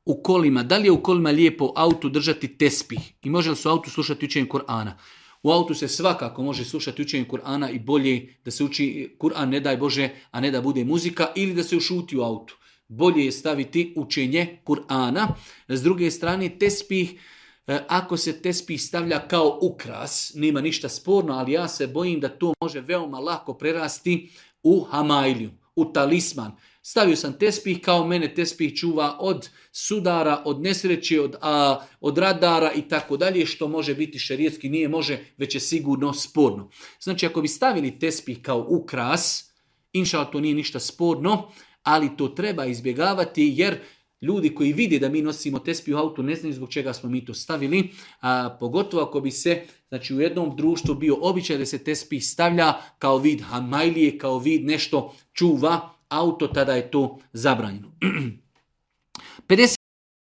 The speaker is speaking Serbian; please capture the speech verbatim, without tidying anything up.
u kolima, da li je u kolima lijepo autu držati tespih i može li se u autu slušati učenje Kur'ana? U autu se svakako može slušati učenje Kur'ana i bolje da se uči Kur'an, ne daj Bože, a ne da bude muzika ili da se ušuti u autu. Bolje je staviti učenje Kur'ana. S druge strane, tespih, ako se tespih stavlja kao ukras, nema ništa sporno, ali ja se bojim da to može veoma lako prerasti u hamailiju, u talisman. Stavio sam tespih, kao mene tespih čuva od sudara, od nesreće, od, a, od radara i tako dalje, što može biti šerijetski, nije može, već je sigurno sporno. Znači, ako bi stavili tespih kao ukras, inša Allah, to nije ništa sporno, ali to treba izbjegavati jer ljudi koji vide da mi nosimo tespih u autu ne znaju zbog čega smo mi to stavili, a pogotovo ako bi se, znači u jednom društvu bio običaj da se tespih stavlja kao vid hamajlije, kao vid nešto čuva auto, tada je to zabranjeno. pedeset